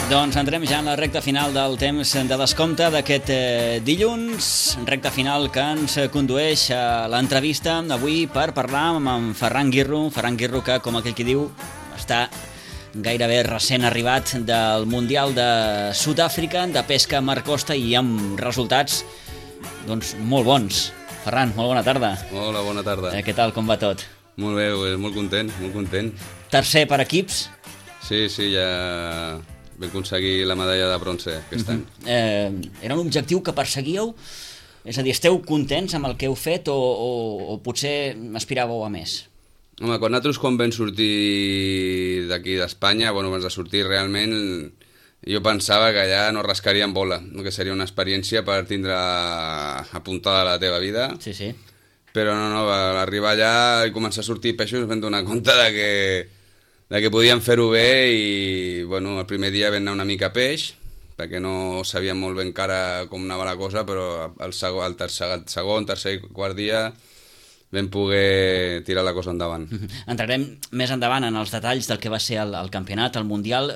Doncs entrem ja en la recta final del temps de descompte d'aquest dilluns, recta final que ens condueix a l'entrevista avui per parlar amb en Ferran Guirro que, com aquell qui diu, està gairebé recent arribat del Mundial de Sud-àfrica de pesca mar costa i amb resultats doncs, molt bons. Ferran, molt bona tarda. Hola, bona tarda. Què tal, com va tot? Molt bé, molt content, molt content. Tercer per equips? Sí, ja vam aconseguir la medalla de bronze aquest any. Era un objectiu que perseguíeu? És a dir, esteu contents amb el que heu fet o potser aspiràveu a més? Home, quan vam sortir d'aquí d'Espanya, abans de sortir realment, jo pensava que allà no rascaríem bola, que seria una experiència per tindre apuntada a la teva vida. Sí. Però no, a arribar allà i començar a sortir peixos vam donar compte de que podíem fer-ho bé i el primer dia vam anar una mica a peix perquè no sabíem molt ben encara com anava la cosa, però el segon, tercer i quart dia vam poder tirar la cosa endavant. Entrarem més endavant en els detalls del que va ser el campionat, el Mundial.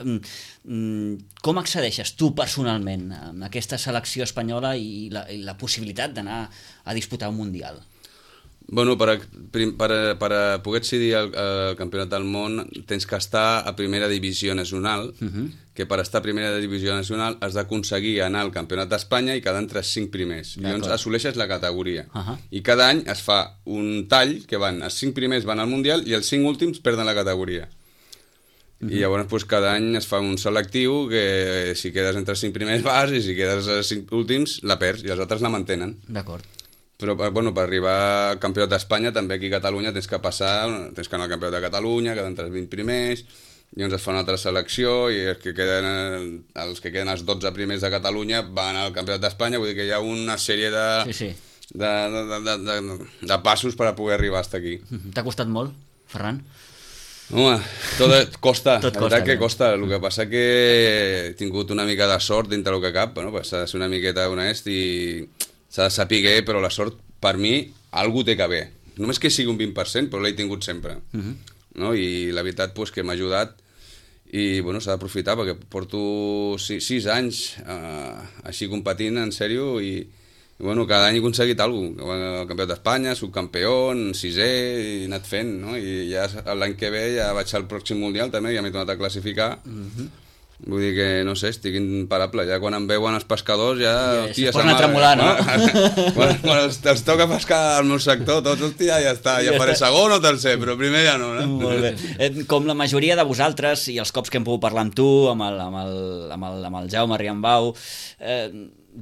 Com accedeixes tu personalment a aquesta selecció espanyola i la possibilitat d'anar a disputar un Mundial? Per poder accedir al Campionat del Món tens que estar a primera divisió nacional, que per estar a primera divisió nacional has d'aconseguir anar al Campionat d'Espanya i quedar entre els 5 primers. Llavors assoleixes la categoria. I cada any es fa un tall que els 5 primers van al Mundial i els 5 últims perden la categoria. I llavors cada any es fa un selectiu que si quedes entre els 5 primers vas i si quedes als 5 últims la perds i els altres la mantenen. D'acord. Però per arribar al Campionat d'Espanya també aquí a Catalunya tens que anar al Campionat de Catalunya, quedar entre els 20 primers, llavors es fa una altra selecció i els que queden els 12 primers de Catalunya van al Campionat d'Espanya, vull dir que hi ha una sèrie de passos per a poder arribar fins aquí. T'ha costat molt, Ferran? Home, tot costa, tot la veritat que costa. El que passa que he tingut una mica de sort dintre el que cap, s'ha de ser una miqueta honest i s'ha de saber, però la sort, per mi, algú té que haver. Només que sigui un 20%, però l'he tingut sempre. I la veritat que m'ha ajudat i s'ha d'aprofitar perquè porto 6 anys així competint, en sèrio, i cada any he aconseguit alguna cosa. El Campionat d'Espanya, subcampió, 6è, he anat fent, i ja l'any que ve ja vaig al pròxim Mundial també, ja m'he tornat a classificar. Vull dir que, no sé, estic imparable. Ja quan em veuen els pescadors ja... Se posen a tremolar, no? Quan els toca pescar al meu sector, tots, hòstia, ja està. Ja faré segon o tercer, però primer ja no. Molt bé. Com la majoria de vosaltres, i els cops que hem pogut parlar amb tu, amb el Jaume Riambau,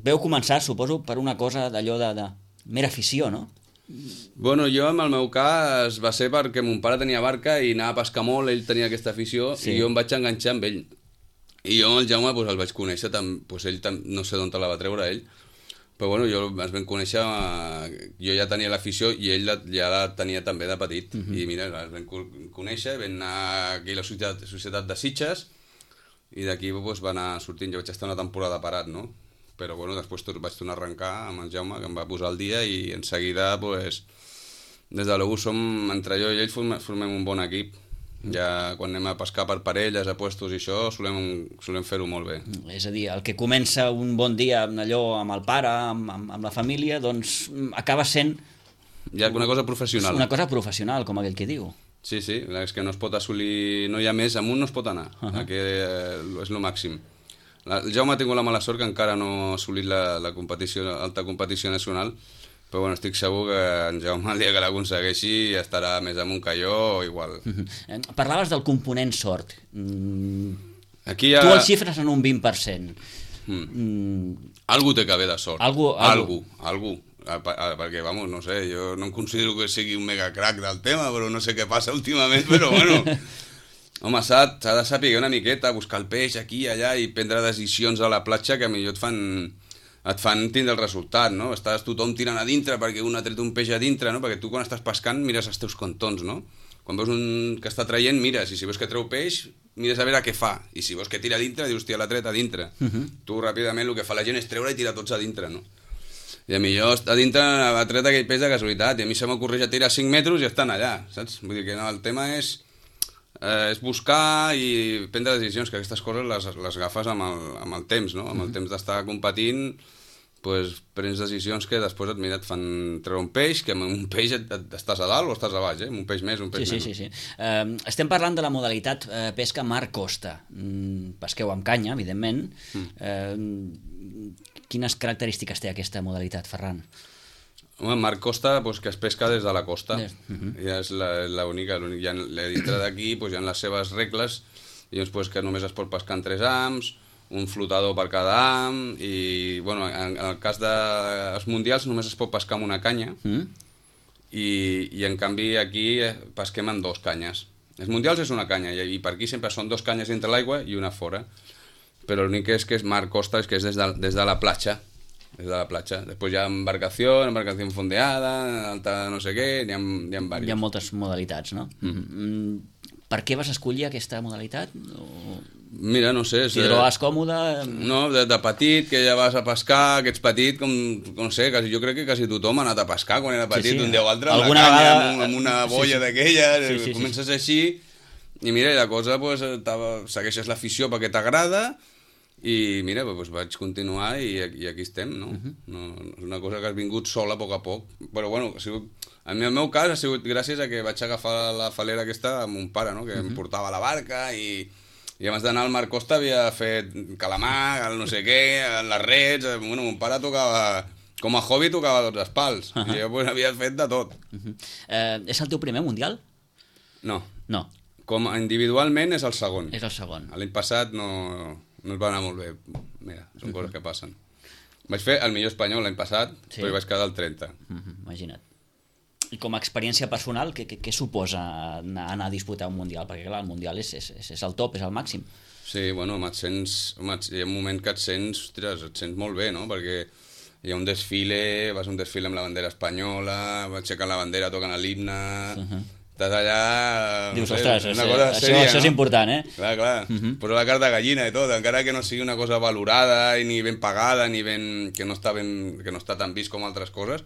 veu començar, suposo, per una cosa d'allò de mera afició, no? Jo, en el meu cas, va ser perquè mon pare tenia barca i anava a pescar molt, ell tenia aquesta afició, i jo em vaig enganxar amb ell. I jo amb el Jaume el vaig conèixer, ell no sé d'on te la va treure ell, però jo ens vam conèixer, jo ja tenia l'afició i ell ja la tenia també de petit, i mira, ens vam conèixer, vam anar aquí a la Societat de Sitges, i d'aquí va anar sortint, jo vaig estar una temporada parat, no? Però després vaig tornar a arrencar amb el Jaume, que em va posar al dia, i en seguida, des de l'U entre jo i ell formem un bon equip. Ja quan anem a pescar per parelles, a puestos i això, solem fer-ho molt bé. És a dir, el que comença un bon dia amb el pare, amb la família, doncs acaba sent... Ja una cosa professional. Una cosa professional, com aquell que diu. Sí, és que no es pot assolir, no hi ha més, amunt no es pot anar, que és el màxim. El Jaume ha tingut la mala sort que encara no ha assolit la alta competició nacional, però estic segur que en Jaume el dia que l'aconsegueixi estarà més amunt que jo o igual. Parlaves del component sort. Aquí tu el xifres en un 20%. Algú té que haver de sort. Algú. Perquè, no sé, jo no em considero que sigui un mega crack del tema, però no sé què passa últimament, però home, s'ha de saber una miqueta, buscar el peix aquí i allà i prendre decisions a la platja que millor et fan tindre el resultat, no? Estàs tothom tirant a dintre perquè un ha tret un peix a dintre, no? Perquè tu quan estàs pescant mires els teus cantons, no? Quan veus un que està traient, mires, i si veus que treu peix, mires a veure què fa, i si veus que tira a dintre, dius, hòstia, l'ha tret a dintre. Tu ràpidament el que fa la gent és treure i tirar tots a dintre, no? I a mi jo a dintre ha tret aquell peix de casualitat, i a mi se m'ocorreix a tirar 5 metres i estan allà, saps? Vull dir que no, el tema és És buscar i prendre decisions, que aquestes coses les agafes amb el temps, no? Amb el temps d'estar competint, pues, prens decisions que després et fan treure un peix, que amb un peix estàs a dalt o estàs a baix, amb un peix més, un peix menys. Sí. Estem parlant de la modalitat pesca mar costa. Pesqueu amb canya, evidentment. Quines característiques té aquesta modalitat, Ferran? Home, mar costa, pues, que es pesca des de la costa. Ja és l'única. Dintre d'aquí pues, hi ha les seves regles, i pues, que només es pot pescar en 3 hams, un flotador per cada ham, i bueno, en el cas dels mundials només es pot pescar amb una canya, i en canvi aquí pesquem amb 2 canyes. Els mundials és una canya, i per aquí sempre són 2 canyes entre l'aigua i una fora, però l'únic que és mar costa, és que és des de la platja. Després hi ha embarcació fondeada, alta no sé què, n'hi ha diversos. Hi ha moltes modalitats, no? Per què vas escollir aquesta modalitat? Mira, no sé... T'hi trobes còmode? No, de petit, que ja vas a pescar, que ets petit, no sé, jo crec que quasi tothom ha anat a pescar quan era petit, un dia o altre, amb la canya, amb una boia d'aquelles, comences així, i mira, la cosa, segueixes l'afició perquè t'agrada, i mira, vaig continuar i aquí estem, no? És una cosa que has vingut sola a poc a poc, però bueno, en el meu cas ha sigut gràcies a que vaig agafar la falera aquesta amb un pare, no? Que em portava a la barca, i abans d'anar al Mar Costa havia fet calamar, el no sé què, les rets, bueno, mon pare tocava, com a hobby tocava tots els pals, i jo havia fet de tot. És el teu primer mundial? No. No. Com individualment és el segon. És el segon. L'any passat no es va anar molt bé. Mira, són coses que passen. Vaig fer el millor espanyol l'any passat, però hi vaig quedar al 30. Imagina't. I com a experiència personal, què suposa anar a disputar un mundial? Perquè clar, el mundial és el top, és el màxim. Sí, bueno, hi ha un moment que et sents molt bé, no? Perquè hi ha un desfile, vas a un desfile amb la bandera espanyola, aixequen la bandera, toquen l'himne... Estàs allà... Dius, ostres, això és important, eh? Clar. Posa la carta de gallina i tot, encara que no sigui una cosa valorada, ni ben pagada, ni que no està tan vist com altres coses.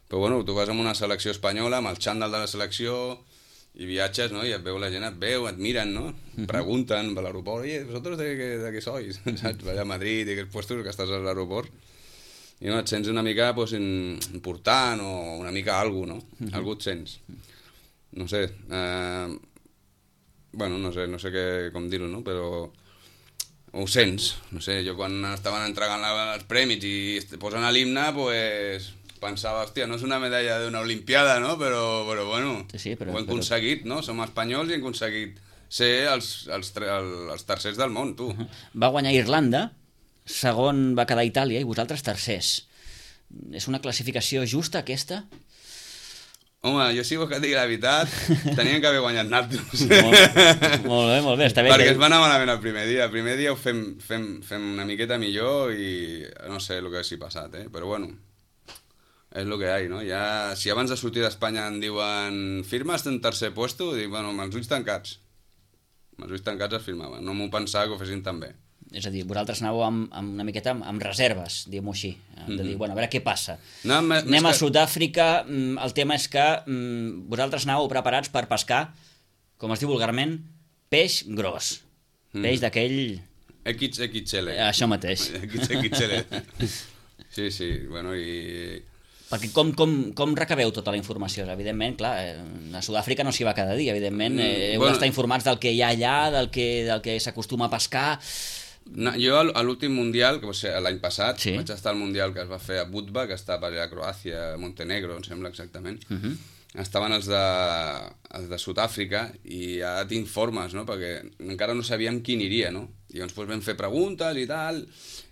Però bueno, tu vas amb una selecció espanyola, amb el xandall de la selecció, i viatges, no? I et veu la gent, et miren, no? Pregunten per l'aeroport, oye, ¿vosotros de qué sois? Saps? Vas a Madrid, i aquests puestos que estàs a l'aeroport, i no, et sents una mica important, o una mica alguna cosa, no? Algú et sents. No sé, bueno, no sé com dir-ho, no? Però ho sents, no sé, jo quan estaven entregant els premis i posen l'himne, pues pensava, hòstia, no és una medalla d'una olimpiada, no? Però bueno, ho hem aconseguit, no? Som espanyols i hem aconseguit ser els tercers del món, tu. Va guanyar Irlanda, segon va quedar Itàlia i vosaltres tercers. És una classificació justa, aquesta? Home, jo si vols que et digui la veritat, tenien que haver guanyat naltros. Molt bé, està bé. Perquè es va anar malament el primer dia. El primer dia ho fem una miqueta millor i no sé el que s'hi ha passat, però bueno, és el que hi ha, no? Ja, si abans de sortir d'Espanya em diuen firmes en tercer puesto, dic, bueno, amb els ulls tancats. Amb els ulls tancats es firmaven. No m'ho pensava que ho fessin tan bé. És a dir, vosaltres anàveu una miqueta amb reserves, diguem-ho així, de dir, bueno, a veure què passa. Anem a Sud-àfrica, el tema és que vosaltres anàveu preparats per pescar, com es diu vulgarment, peix gros, peix d'aquell... XXL. Això mateix. XXL. Sí, bueno, i... Perquè com recabeu tota la informació? Evidentment, clar, a Sud-àfrica no s'hi va cada dia, evidentment, heu d'estar informats del que hi ha allà, del que s'acostuma a pescar... Jo a l'últim mundial, que va ser l'any passat, vaig estar al mundial que es va fer a Budva, que està per allà a Croàcia, Montenegro, em sembla exactament. Estaven els de Sud-àfrica i ja t'informes, no? Perquè encara no sabíem qui aniria, no? I llavors vam fer preguntes i tal,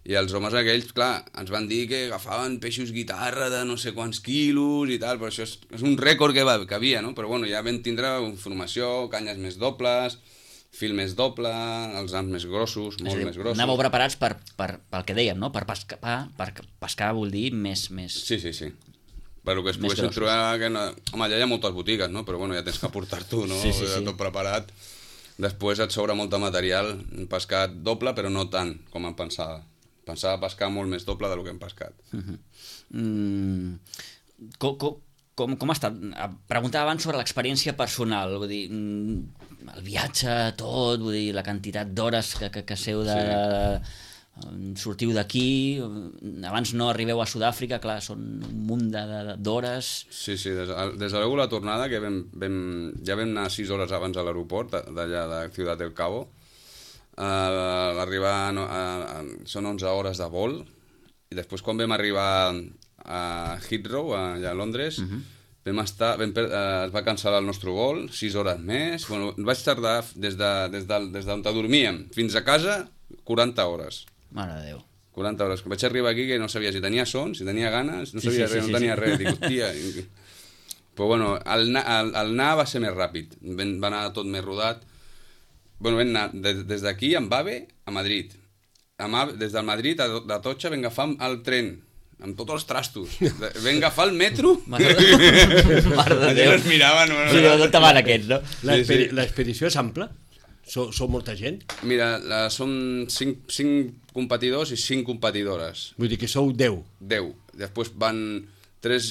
i els homes aquells, clar, ens van dir que agafaven peixos guitarra de no sé quants quilos i tal, però això és un rècord que havia, no? Però bueno, ja vam tindre informació, canyes més dobles, fil més doble, els hams més grossos, molt més grossos. Anàveu preparats pel que dèiem, no? Per pescar vol dir més... Sí. Per lo que es poguessin trobar... Home, allà hi ha moltes botigues, no? Però bueno, ja tens que portar-t'ho, no? Sí. Tot preparat. Després et sobra molt de material. Hem pescat doble, però no tant com em pensava. Pensava pescar molt més doble del que hem pescat. Com ha estat? Preguntava abans sobre l'experiència personal. Vull dir, el viatge, tot, vull dir, la quantitat d'hores que seu de... sortiu d'aquí, abans no arribeu a Sud-àfrica, clar, són un munt d'hores. Sí, des de luego la tornada, que ja vam anar 6 hores abans a l'aeroport d'allà de Ciudad del Cabo. Arribar són 11 hores de vol, i després quan vam arribar a Heathrow, allà a Londres, es va cancel·lar el nostre vol, 6 hores més. Bueno, vaig tardar des d'on dormíem fins a casa 40 hores. Mare de Déu. 40 hores. Vaig arribar aquí que no sabia si tenia son, si tenia ganes, no sabia res, no tenia res. Dic, hòstia... Però bueno, el anar va ser més ràpid, va anar tot més rodat. Bueno, vam anar des d'aquí, amb AVE, a Madrid. Des del Madrid a Atocha vam agafar el tren, amb tots els trastos. Vam agafar el metro. Mare de Déu. Es miraven... Sí, d'on te van aquests, no? L'expedició és ampla? Sou molta gent? Mira, som 5 competidors i 5 competidores. Vull dir que sou 10. 10. Després van 3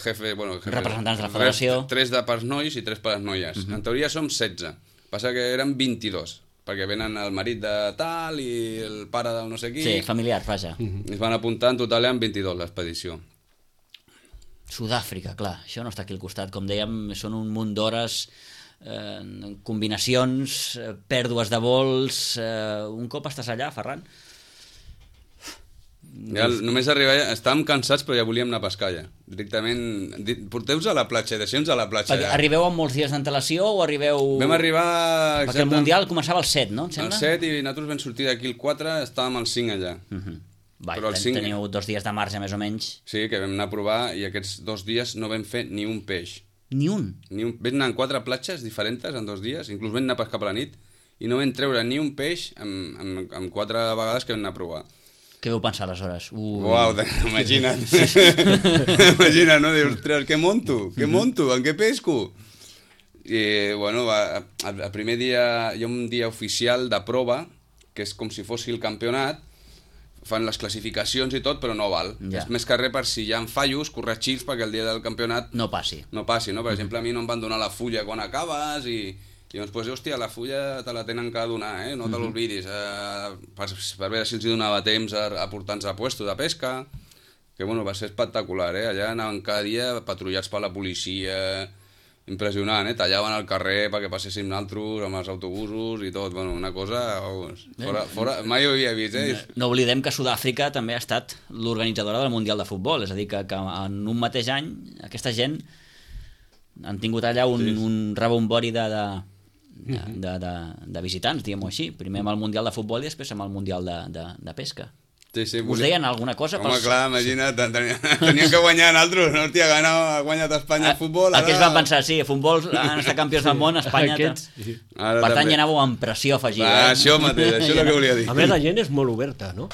jefes... representants de la federació. 3 de pels nois i 3 per les noies. En teoria som 16. Passa que eren 22, perquè venen el marit de tal i el pare del no sé qui. Sí, familiar, vaja. Es van apuntar en total en 22 l'expedició. Sud-àfrica, clar, això no està aquí al costat. Com dèiem, són un munt d'hores... combinacions, pèrdues de vols. Un cop estàs allà, Ferran? Ja, només arribar allà, estàvem cansats però ja volíem anar a pescar ja. Directament, porteu-vos a la platja, deixem-nos a la platja ja. Arribeu amb molts dies d'antelació o arribeu... Vam arribar... Perquè el Mundial començava el 7, no? El 7 i nosaltres vam sortir d'aquí el 4, estàvem al 5 allà. Però el 5... Teniu 2 dies de marge més o menys. Sí, que vam anar a provar i aquests 2 dies no vam fer ni un peix. Ni un? Vam anar en 4 platges diferents en 2 dies, inclús vam anar a pescar per la nit, i no vam treure ni un peix en 4 vegades que vam anar a provar. Què vau pensar aleshores? Uau, imagina't. Imagina't, no? Dius, ostres, què monto? Què monto? En què pesco? I, bueno, el primer dia, hi ha un dia oficial de prova, que és com si fos el campionat, fan les classificacions i tot, però no val. Ja. És més que res per si hi ha fallos, corregir-los perquè el dia del campionat no passi. No passi, no? Per exemple, a mi no em van donar la fulla quan acabes i llavors, pues, hòstia, la fulla te la tenen que donar, no te l'oblidis. Per veure si els donava temps a portar-nos a puesto de pesca, que bueno, va ser espectacular, allà anaven cada dia patrullats per la policia, impressionant, tallaven el carrer perquè passéssim nosaltres amb els autobusos i tot, bueno, una cosa fora, mai ho havia vist, No oblidem que Sud-àfrica també ha estat l'organitzadora del Mundial de Futbol, és a dir, que en un mateix any aquesta gent han tingut allà un rebombori de visitants, diguem-ho així, primer amb el Mundial de Futbol i després amb el Mundial de Pesca. Sí, us deien alguna cosa? Home, clar, imagina't, teníem que guanyar nosaltres, no? Hòstia, ha guanyat Espanya a futbol. Aquests van pensar, sí, a futbol han estat campions del món, Espanya... Per tant, ja anàveu amb pressió afegida. Això mateix, això és el que volia dir. A més, la gent és molt oberta, no?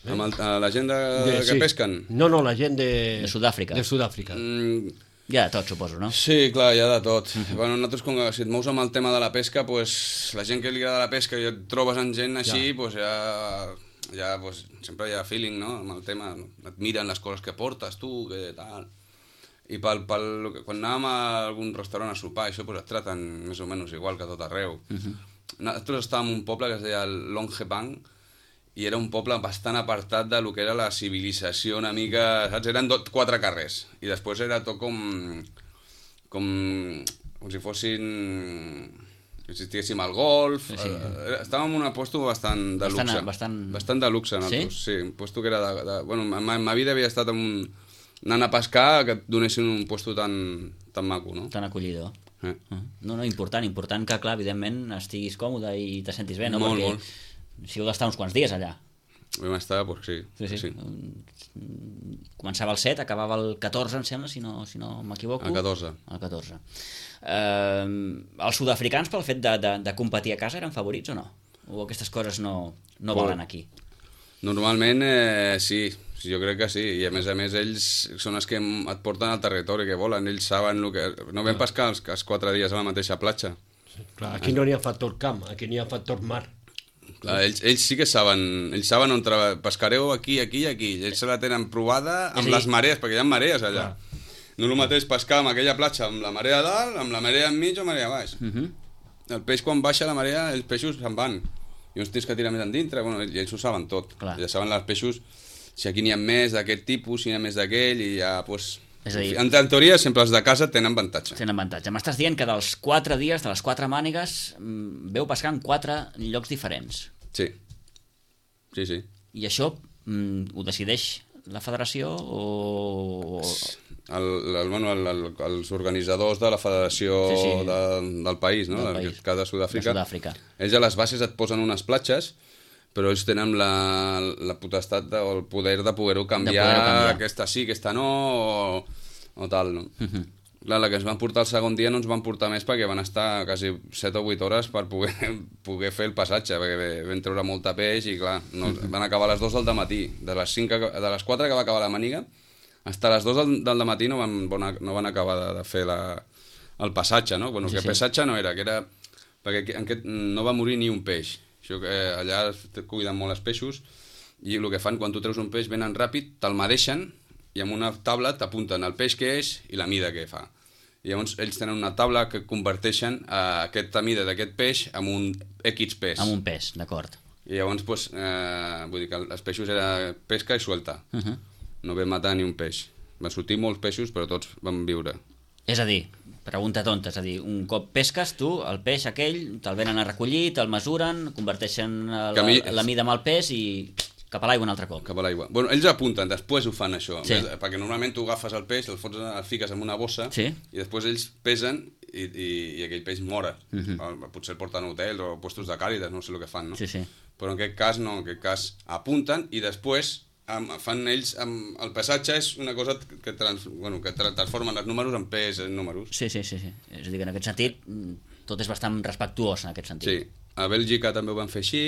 Amb la gent que pesquen? No, la gent de Sud-àfrica. De Sud-àfrica. Hi ha de tot, suposo, no? Sí, clar, hi ha de tot. Bueno, nosaltres, si et mous amb el tema de la pesca, pues, la gent que li agrada la pesca i et trobes amb gent així, pues, ja pues, sempre hi ha feeling, no?, amb el tema. Et miren les coses que portes, tu, que tal... I quan anàvem a algun restaurant a sopar, això, pues, et traten més o menys igual que tot arreu. Nosaltres estàvem en un poble que es deia Longebang, i era un poble bastant apartat de lo que era la civilització una mica, saps? Eren 4 carrers, i després era tot com si fossin... si estiguéssim al golf, estàvem en un puesto bastant de luxe. Bastant de luxe, nosaltres. Sí, un puesto que era de... Bueno, en ma vida havia estat anant a pescar que et donessin un puesto tan maco, no? Tan acollidor. No, important que, clar, evidentment estiguis còmode i te sentis bé, no? Molt. Si heu d'estar uns quants dies allà. Vam estar, doncs sí. Començava el 7, acabava el 14, em sembla, si no m'equivoco. El 14. El 14. Els sud-africans, pel fet de competir a casa, eren favorits o no? O aquestes coses no valen aquí? Normalment sí, jo crec que sí, i a més ells són els que et porten al territori que volen, ells saben el que... No vam pescar els 4 dies a la mateixa platja. Clar, aquí no n'hi ha factor camp, aquí n'hi ha factor mar. Clar, ells sí que saben, on pescareu aquí, ells se la tenen provada amb les marees, perquè hi ha marees allà. No és el mateix pescar amb aquella platja amb la marea a dalt, amb la marea enmig o marea a baix. el peix quan baixa la marea, els peixos se'n van. I uns tens que tirar més endintre, bueno, i ells ho saben tot. Clar. Ja saben els peixos, si aquí n'hi ha més d'aquest tipus, si n'hi ha més d'aquell, i ja, doncs... És a dir, en teoria, sempre els de casa tenen avantatge. tenen avantatge. M'estàs dient que dels 4 dies, de les 4 mànigues, veu pescar en 4 llocs diferents. Sí. Sí, sí. I això ho decideix la federació o... Els organitzadors de la federació del país, no? Del país. De Sud-àfrica. Ells a les bases et posen unes platges, però ells tenen la potestat o el poder de poder-ho canviar, aquesta sí, aquesta no, o tal, no? Clar, la que ens van portar el segon dia no ens van portar més perquè van estar quasi 7 o 8 hores per poder fer el passatge, perquè vam treure molta peix i clar, van acabar a les 2 del matí. De les 4 que va acabar la maniga, fins a les 2 del matí no van acabar de fer el passatge, no? Bueno, que passatge no era, que era... perquè no va morir ni un peix. Això que allà cuiden molt els peixos i el que fan, quan tu treus un peix, venen ràpid, te'l medeixen i amb una taula t'apunten el peix que és i la mida que fa. I llavors ells tenen una taula que converteixen aquesta mida d'aquest peix en un X pes. Amb un pes, d'acord. I llavors, doncs, vull dir que els peixos era pesca i suelta. No vam matar ni un peix. Van sortir molts peixos, però tots van viure. És a dir, pregunta tonta, és a dir, un cop pesques tu, el peix aquell, te'l venen a recollir, te'l mesuren, converteixen la mida amb el pes i cap a l'aigua un altre cop. Cap a l'aigua. Bueno, ells apunten, després ho fan això, perquè normalment tu agafes el peix, el fiques en una bossa i després ells pesen i aquell peix mora. Potser el porten a hotels o puestos de càritas, no sé el que fan, no? Però en aquest cas no, en aquest cas apunten i després fan ells, el passatge és una cosa que transformen els números en pes en números. Sí. És a dir, que en aquest sentit tot és bastant respectuós en aquest sentit. Sí, a Bèlgica també ho van fer així,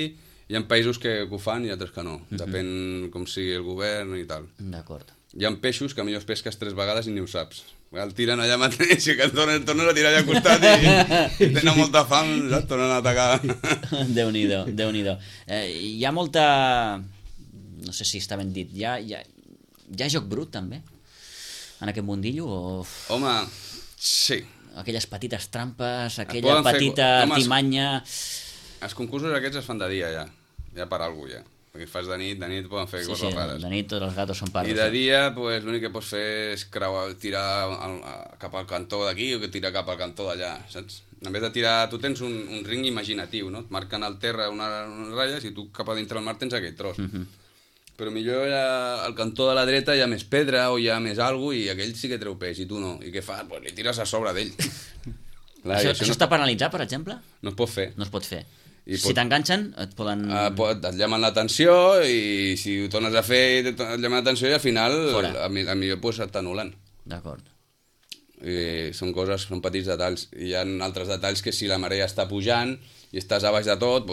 hi ha països que ho fan i altres que no, depèn com sigui el govern i tal. D'acord. Hi ha peixos que millor pesques 3 vegades i ni ho saps. El tiren allà mateix i que el tornes a tirar allà al costat i tenen molta fam, saps? Tornen a atacar. Déu-n'hi-do, Déu-n'hi-do. Hi ha molta... no sé si està ben dit, hi ha joc brut també en aquest mundillo o... Home, sí. Aquelles petites trampes, aquella petita artimanya... Els concursos aquests es fan de dia ja per alguna cosa ja. Perquè fas de nit poden fer coses rares. De nit tots els gatos són pares. I de dia l'únic que pots fer és tirar cap al cantó d'aquí o tirar cap al cantó d'allà, saps? En vez de tirar, tu tens un ring imaginatiu, no? Et marquen al terra unes ratlles i tu cap a dintre del mar tens aquell tros. Però millor al cantó de la dreta hi ha més pedra o hi ha més alguna cosa i aquell sí que treu peix i tu no. I què fas? Pues li tires a sobre d'ell. Això està penalitzat, per exemple? No es pot fer. No es pot fer. Si t'enganxen, et poden... Et llamen l'atenció i si ho tornes a fer et llamen l'atenció i al final millor t'anulen. D'acord. Són petits detalls. Hi ha altres detalls que si la marea està pujant i estàs a baix de tot,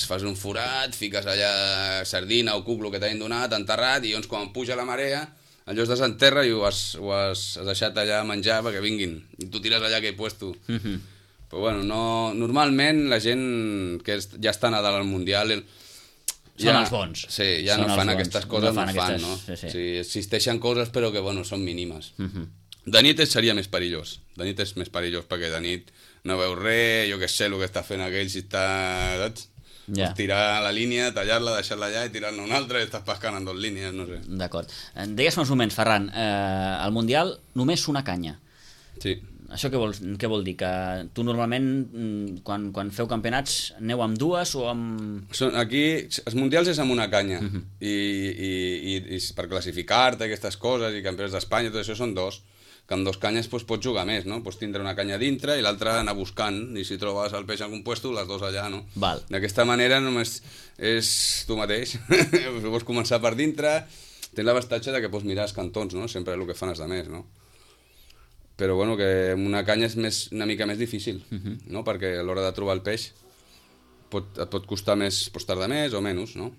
fas un forat, fiques allà sardina o cuc, el que t'hagin donat, enterrat, i llavors quan puja la marea, allò es desenterra i ho has deixat allà a menjar perquè vinguin. I tu tires allà aquell puesto. Però bueno, normalment la gent que ja està a dalt al Mundial... Són els bons. Sí, ja no fan aquestes coses, no fan, no? Sí, existeixen coses però que són mínimes. De nit seria més perillós. De nit és més perillós perquè de nit no veus res, jo què sé el que està fent aquell, si està... saps? Pots tirar la línia, tallar-la, deixar-la allà i tirar-ne una altra i estàs pescant en 2 línies, no sé. D'acord. Deies fa uns moments, Ferran, al Mundial només una canya. Sí. Això què vol dir? Que tu normalment, quan feu campionats, aneu amb 2 o amb... Aquí, els mundials és amb una canya. I per classificar-te, aquestes coses, i campionats d'Espanya, tot això són 2. Que amb 2 canyes pots jugar més, no? Pots tindre una canya dintre i l'altra anar buscant. I si trobes el peix en algun puesto, les 2 allà, no? D'aquesta manera només és tu mateix. Pots començar per dintre. Tens l'avantatge que pots mirar els cantons, no? Sempre és el que fan els altres, no? Però bueno, que amb una canya és una mica més difícil, no? Perquè a l'hora de trobar el peix et pot costar més, pots tardar més o menys, no?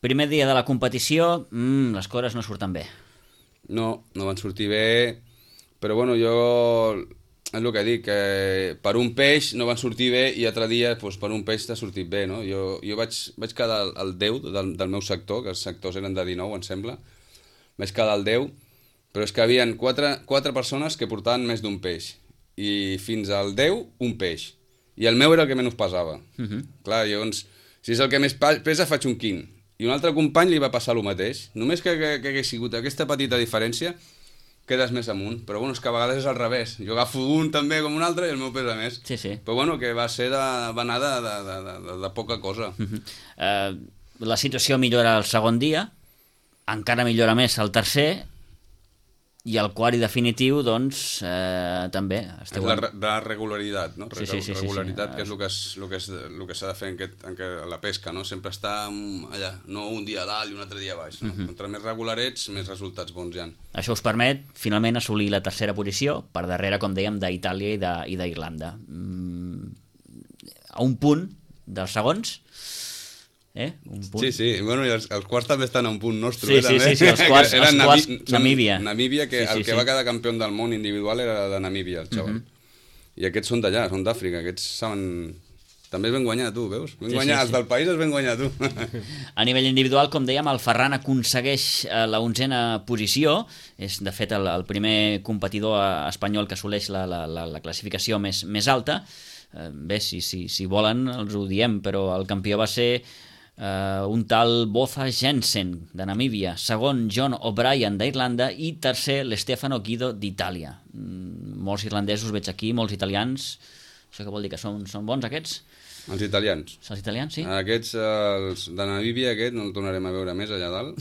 Primer dia de la competició, les coses no surten bé. No van sortir bé, però bueno, jo és el que dic, que per un peix no van sortir bé i altre dia per un peix t'ha sortit bé, no? Jo vaig quedar al 10 del meu sector, que els sectors eren de 19, em sembla, vaig quedar al 10, però és que hi havia 4 persones que portaven més d'un peix, i fins al 10, un peix. i el meu era el que menys pesava. Clar, llavors, si és el que més pesa, faig un quint. I un altre company li va passar el mateix. Només que hagués sigut aquesta petita diferència, quedes més amunt. Però bueno, és que a vegades és al revés. Jo agafo un també com un altre i el meu pesa més. Sí, sí. Però bueno, que va anar de poca cosa. La situació millora el segon dia, encara millora més el tercer, i el quart i definitiu, doncs, també. És la regularitat, no? Sí. Regularitat, que és el que s'ha de fer en la pesca, no? Sempre està allà, no un dia a dalt i un altre dia a baix. No? Contra més regular ets, més resultats bons hi ha. Això us permet, finalment, assolir la tercera posició, per darrere, com dèiem, d'Itàlia i d'Irlanda. A un punt dels segons, un punt. Sí, bueno, i els quarts també estan a un punt nostre. Sí, els quarts Namíbia. Namíbia, que el que va quedar campió del món individual era de Namíbia, el xaval. I aquests són d'allà, són d'Àfrica, aquests saben... També es ven guanyar, tu, veus? Els del país es ven guanyar, tu. A nivell individual, com dèiem, el Ferran aconsegueix la 11a posició. És, de fet, el primer competidor espanyol que assoleix la classificació més alta. Bé, si volen, els ho diem, però el campió va ser un tal Botha Jensen, de Namíbia, segon John O'Brien, d'Irlanda, i tercer l'Stefano Guido, d'Itàlia. Molts irlandesos veig aquí, molts italians. Això què vol dir, que són bons, aquests? Els italians. Els italians, sí. Aquests, els de Namíbia, no el tornarem a veure més allà dalt.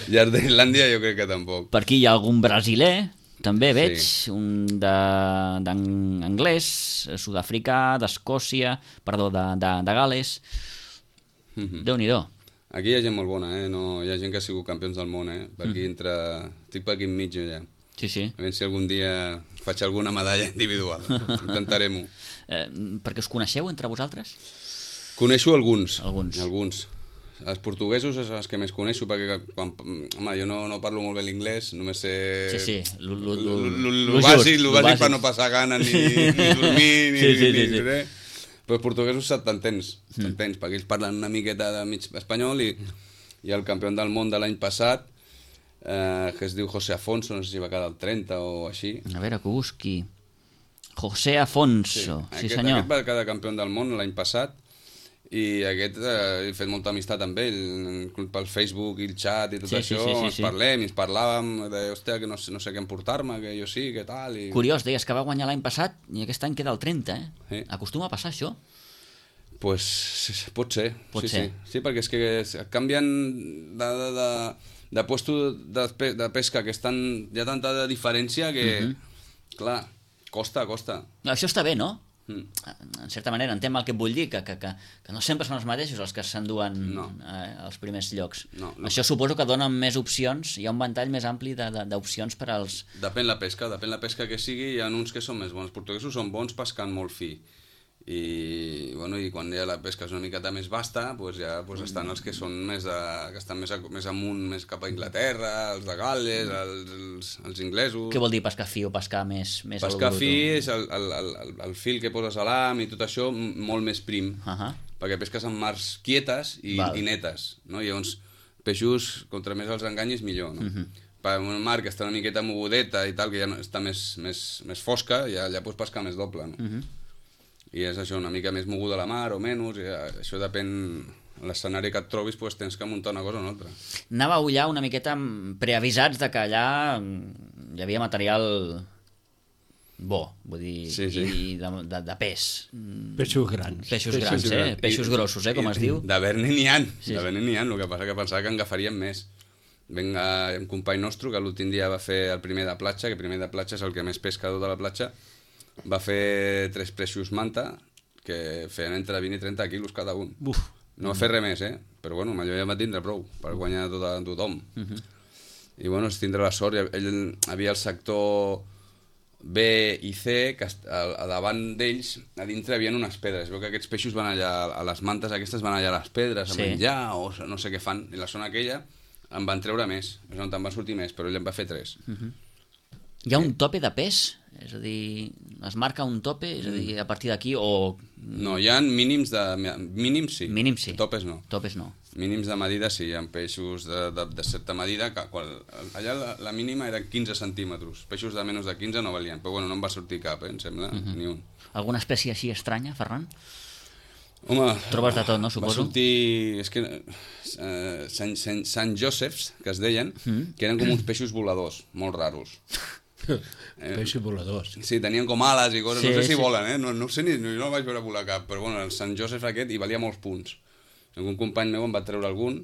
I els d'Irlàndia jo crec que tampoc. Per aquí hi ha algun brasiler, també veig, un d'anglès, sud-africà, d'Escòcia, perdó, de Gales. Déu-n'hi-do. Aquí hi ha gent molt bona, no, hi ha gent que ha sigut campions del món, per aquí estic per aquí enmig ja. Sí. A veure si algun dia faig alguna medalla individual. Intentarem-ho. Perquè us coneixeu entre vosaltres? Coneixo alguns. Alguns. Els portuguesos és els que més coneixo, perquè jo no parlo molt bé l'inglès, només sé... Sí, lo bàsic per no passar gana, ni dormir, ni res. Però els portuguesos t'entens, perquè ells parlen una miqueta de mig espanyol i el campió del món de l'any passat, que es diu José Afonso, no sé si va quedar el 30 o així. A veure, que busqui. José Afonso, sí senyor. Aquest va quedar campió del món l'any passat, i aquest he fet molta amistat amb ell pel Facebook i el xat i tot això. Ens parlem i ens parlàvem de, hòstia, que no sé què emportar-me, que jo sí, que tal. Curiós, deies que va guanyar l'any passat i aquest any queda el 30, Acostuma a passar això? Pues pot ser. Sí, perquè és que canvien de puesto de pesca, que hi ha tanta diferència que, clar, costa. Això està bé, no? En certa manera, entenc el que et vull dir, que no sempre són els mateixos els que s'enduen als primers llocs. Això suposo que dona més opcions, hi ha un ventall més ampli d'opcions per als... Depèn la pesca que sigui, hi ha uns que són més bons. Els portuguesos són bons pescant molt fi. I quan ja la pesca és una miqueta més vasta, estan els que són que estan més amunt, més cap a Anglaterra, els de Gal·les, els inglesos. Què vol dir pescar fi o pescar més pescar fi és el fil que poses a l'am i tot això molt més prim, perquè pesques en mars quietes i netes, no? I llavors peixos, contra més els enganyis millor, no? Per una mar que està una miqueta mogudeta i tal, que ja està més fosca, i allà pots pescar més doble, no? I és això, una mica més moguda la mar o menys, i això depèn, l'escenari que et trobis, tens que muntar una cosa o una altra. Anàveu allà una miqueta preavisats de que allà hi havia material bo, vull dir, i de pes. Peixos grans. Peixos grossos, com es diu. D'haver-ne n'hi ha, el que passa que pensava que en agafaríem més. Un company nostre que l'últim dia va fer el primer de platja, que el primer de platja és el que més pesca de tota la platja, va fer 3 peixos manta que feien entre 20 i 30 quilos cada un. No va fer res més, però allò ja va tindre prou per guanyar a tothom. I és tindre la sort. Ell havia el sector B i C, que a davant d'ells, a dintre hi havia unes pedres. Veu que aquests peixos van allà, a les mantes aquestes van allà a les pedres a menjar o no sé què fan. I la zona aquella en van treure més, és on en van sortir més, però ell en va fer 3. Hi ha un tope de pes? És a dir, es marca un tope, és a dir, a partir d'aquí, o... No, hi ha mínims sí. Mínims sí. Topes no. Topes no. Mínims de medida sí, hi ha peixos de certa medida, allà la mínima era 15 centímetres, peixos de menys de 15 no valien, però bueno, no em va sortir cap, em sembla, ni un. Alguna espècie així estranya, Ferran? Home, trobes de tot, no, suposo? Va sortir... És que Sant Josephs, que es deien, que eren com uns peixos voladors, molt raros. Peixos voladors. Sí, tenien com ales i coses, Sí, no sé si sí. volen, no sé ni, no el vaig veure volar cap, però bueno, el Sant Joseph aquest hi valia molts punts. Algun company meu em va treure algun,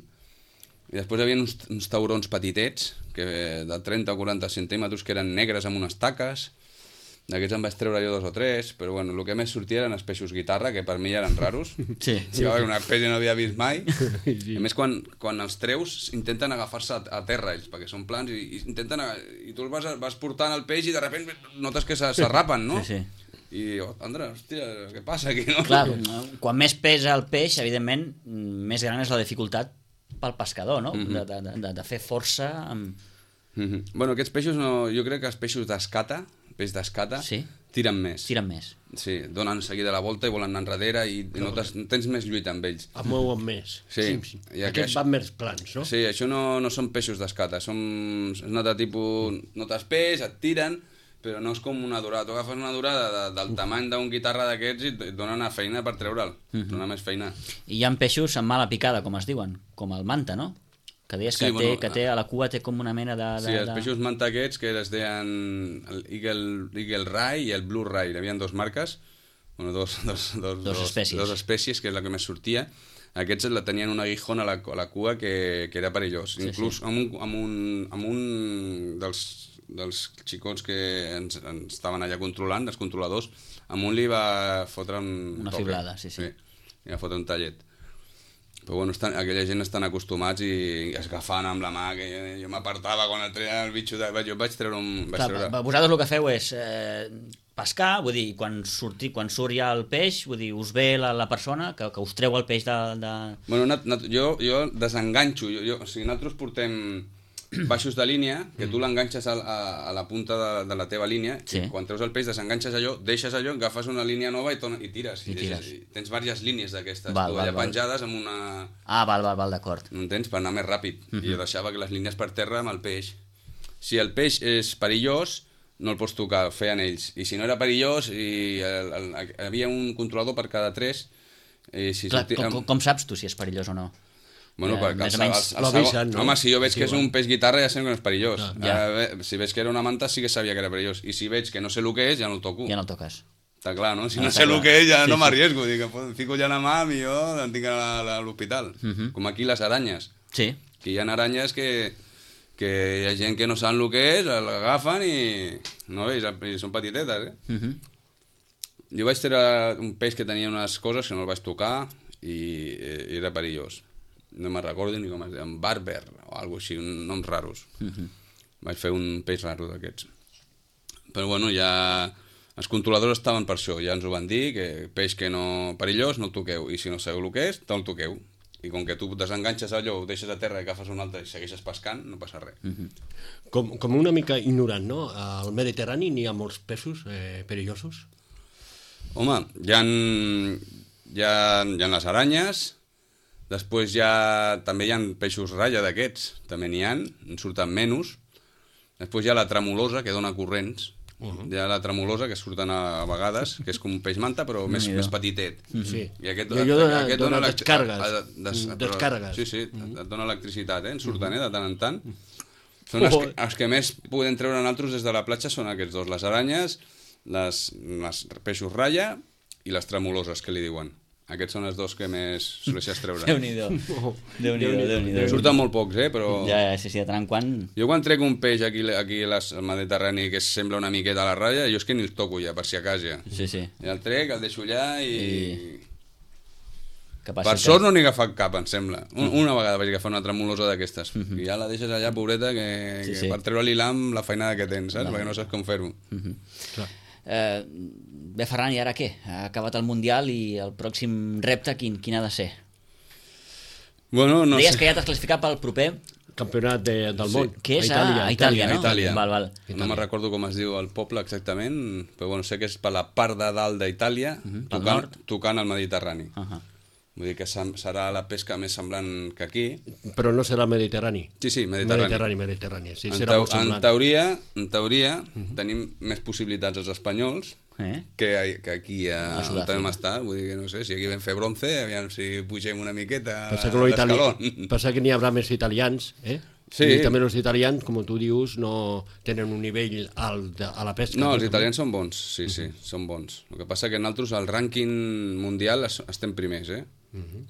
i després hi havia uns taurons petitets, de 30 o 40 centímetres, que eren negres amb unes taques. D'aquests em vaig treure jo 2 o 3, però bueno, el que més sortia eren els peixos guitarra, que per mi ja eren raros. Sí. Una espècie no havia vist mai. Sí. A més, quan els treus, intenten agafar-se a terra ells, perquè són plans, i intenten... I tu els vas portant el peix i de sobte notes que s'arrapen, no? Sí, sí. I jo, Andra, hòstia, què passa aquí, no? Clar, quan més pesa el peix, evidentment, més gran és la dificultat pel pescador, no? De fer força amb... Bueno, aquests peixos, jo crec que els peixos d'escata, peix d'escata, Sí. tiren més. Tiren més. Sí, donen seguida la volta i volen anar enrere i tens més lluita amb ells. Es mouen més. Sí. I Aquests van més plans, no? Sí, això no són peixos d'escata, és un altre tipus... Notes peix, et tiren, però no és com una dorada. Tu agafes una dorada del tamany d'un guitarra d'aquests i et donen una feina per treure'l, dona més feina. I hi ha peixos amb mala picada, com es diuen, com el manta, no? Que deies Sí, que té a la cua té com una mena de... Sí, els peixos manta aquests, que es deien el Eagle Ray i el Blue Ray, hi havia 2 marques, bueno, dos espècies. Dos espècies, que és la que més sortia. Aquests tenien un aguijón a la cua que era perillós. Sí, Inclús amb un dels xicots que ens estaven allà controlant, els controladors, amb un li va fotre Una fiblada, sí. Li va fotre un tallet. Però bueno, aquella gent estan acostumats i es agafaven amb la mà, que jo m'apartava quan el treia el bitxo, jo vaig treure un... Vosaltres el que feu és pescar, vull dir, quan surt ja el peix, vull dir, us ve la persona que us treu el peix de... Bueno, jo desenganxo, o sigui, nosaltres portem baixos de línia, que tu l'enganxes a la punta de la teva línia, Sí. i quan treus el peix desenganxes allò, deixes allò, agafes una línia nova i tires. I tires. Tens diverses línies d'aquestes, Val, allà val. penjades amb una... Ah, val, d'acord. No entens? Per anar més ràpid. I jo deixava que les línies per terra amb el peix. Si el peix és perillós, no el pots tocar, ho feien ells. I si no era perillós, hi havia un controlador per cada 3. Clar, com saps tu si és perillós o no? Bueno, perquè més o menys l'avisen, no? Home, si jo veig que és un peix guitarra ja sé que no és perillós. Ja. Si veig que era una manta sí que sabia que era perillós. I si veig que no sé el que és, ja no el toco. Ja no el toques. Està clar, no? Si no està sé el clar. que és, ja no m'arriesgo. Dic, em fico ja la mà, millor em tinc a l'hospital. Com aquí les aranyes. Sí. Que hi ha aranyes que hi ha gent que no saben el que és, l'agafen i... No veus? I són petitetes, Jo vaig treure un peix que tenia unes coses que no el vaig tocar i era perillós. No me'n recordo ni com es deia, Barber o alguna així, noms raros. Vaig fer un peix raro d'aquests. Però bueno, ja... Els controladors estaven per això, ja ens ho van dir, que peix que no perillós no el toqueu, i si no sabeu el que és, te'l toqueu. I com que tu desenganxes allò, ho deixes a terra i agafes un altre i segueixes pescant, no passa res. Com una mica ignorant, no? Al Mediterrani n'hi ha molts peixos perillosos? Home, hi ha les aranyes, després també hi ha peixos ratlla d'aquests, també n'hi ha, en surten menys. Després hi ha la tremulosa, que dona corrents. Hi ha la tremulosa, que surten a vegades, que és com un peix manta, però més petitet. Sí. I aquest dona descàrregues. Sí, et dona electricitat, en surten, de tant en tant. Són els que més podem treure nosaltres des de la platja són aquests dos, les aranyes, les peixos ratlla i les tremoloses, que li diuen. Aquests són els dos que més soleixes treure. Déu-n'hi-do. Déu-n'hi-do. Surten molt pocs, però... Ja, sí, de tant en quant... Jo quan trec un peix aquí al Mediterrani que sembla una miqueta a la ratlla, jo és que ni el toco ja, per si a casa. Sí. I el trec, el deixo allà i... Per sort no n'he agafat cap, em sembla. Una vegada vaig agafar una tremolosa d'aquestes. I ja la deixes allà, pobreta, que per treure l'hilam la feinada que tens, saps? Perquè no saps com fer-ho. Bé, Ferran, i ara què? Ha acabat el Mundial i el pròxim repte quin ha de ser? Bueno, no Deies sé. que ja t'has classificat pel proper? campionat del món. Que és a Itàlia, no? Val. No me'n recordo com es diu el poble exactament, però bueno, sé que és per la part de dalt d'Itàlia, tocant al Mediterrani. Vull dir que serà la pesca més semblant que aquí. Però no serà Mediterrani. Sí, Mediterrani. Mediterrani. Sí, serà molt semblant. En teoria, tenim més possibilitats els espanyols que aquí on vam estar. Vull dir que no sé, si aquí vam fer bronce, aviam si pugem una miqueta l'escaló. Passa que n'hi haurà més italians, Sí. I també els italians, com tu dius, no tenen un nivell alt a la pesca. No, els italians són bons, sí, són bons. El que passa que nosaltres al rànquing mundial estem primers,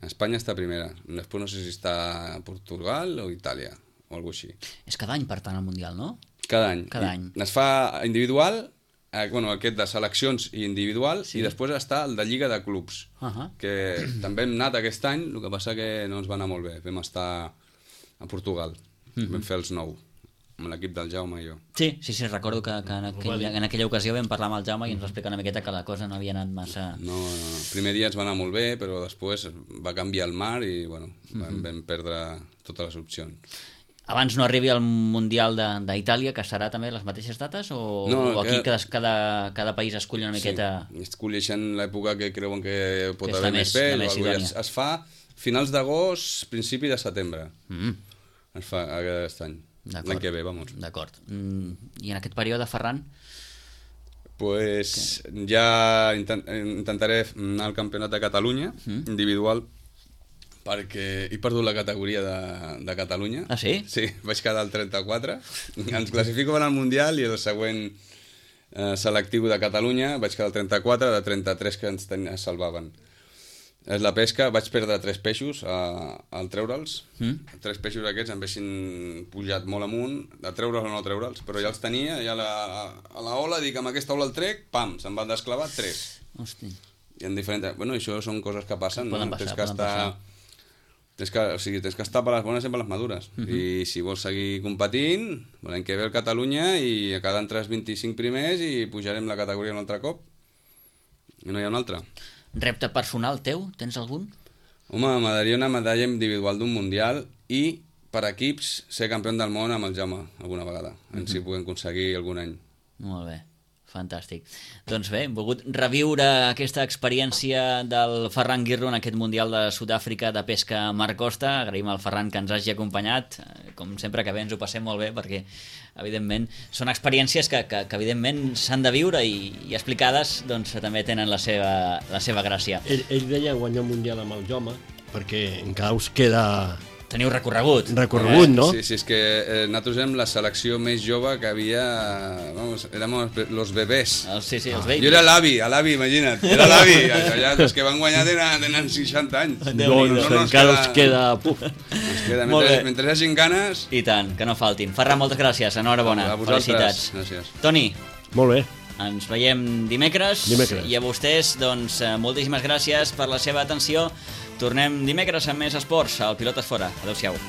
Espanya està primera. Després no sé si està a Portugal o Itàlia, o alguna cosa així. És cada any, per tant, el mundial, no? Cada any. Es fa individual, aquest de seleccions i individual, i després està el de Lliga de Clubs, que també hem anat aquest any, el que passa que no ens va anar molt bé. Vam estar a Portugal. Vam fer els 9, amb l'equip del Jaume i jo. Sí, recordo que en aquella ocasió vam parlar amb el Jaume i ens va explicar una miqueta que la cosa no havia anat massa... No. El primer dia ens va anar molt bé, però després va canviar el mar i vam perdre totes les opcions. Abans no arribi al Mundial d'Itàlia, que serà també les mateixes dates, o aquí cada país escull una miqueta... Sí, escolleixen l'època que creuen que pot haver més pes. Es fa finals d'agost, principi de setembre. Es fa aquest any. L'any que ve, vamos. D'acord. I en aquest període, Ferran? Pues ja intentaré anar al Campionat de Catalunya, individual, perquè he perdut la categoria de Catalunya. Ah, sí? Sí, vaig quedar al 34. Ens classifico al Mundial i el següent selectiu de Catalunya vaig quedar al 34, de 33 que ens salvaven. És la pesca, vaig perdre 3 peixos al treure'ls. 3 peixos aquests em haguessin pujat molt amunt, de treure'ls o no treure'ls, però ja els tenia, ja a la ola, dic, amb aquesta ola el trec, pam, se'n van desclavar 3. Hosti. I en diferents... Bueno, això són coses que passen, no? Poden passar. Tens que estar per les bones i per les madures. I si vols seguir competint, l'any que ve el Catalunya i quedar entre els 25 primers i pujarem la categoria un altre cop. I no hi ha un altre. Repte personal teu? Tens algun? Home, m'agradaria una medalla individual d'un mundial i per equips ser campió del món amb el Jaume alguna vegada, si ho puguem aconseguir algun any. Molt bé, fantàstic. Doncs bé, hem volgut reviure aquesta experiència del Ferran Guirro en aquest Mundial de Sud-àfrica de pesca Mar Costa. Agraïm al Ferran que ens hagi acompanyat. Com sempre que bé ens ho passem molt bé perquè evidentment són experiències que evidentment s'han de viure i explicades doncs també tenen la seva gràcia. Ell deia guanyar un mundial amb el Jaume perquè encara us queda... Teniu recorregut. No? Sí, és que nosaltres érem la selecció més jove que havia... Vamos, érem los bebés. Sí, els babies. Jo era l'avi, imagina't. Era l'avi. Els que van guanyar tenen 60 anys. Doncs encara us queda... Mentre hi hagin ganes... I tant, que no faltin. Ferran, moltes gràcies. Enhorabona. Felicitats. Gràcies. Toni. Molt bé. Ens veiem dimecres. I a vostès, doncs, moltíssimes gràcies per la seva atenció. Tornem dimecres amb més esports al Pilotes Fora. Adéu-siau.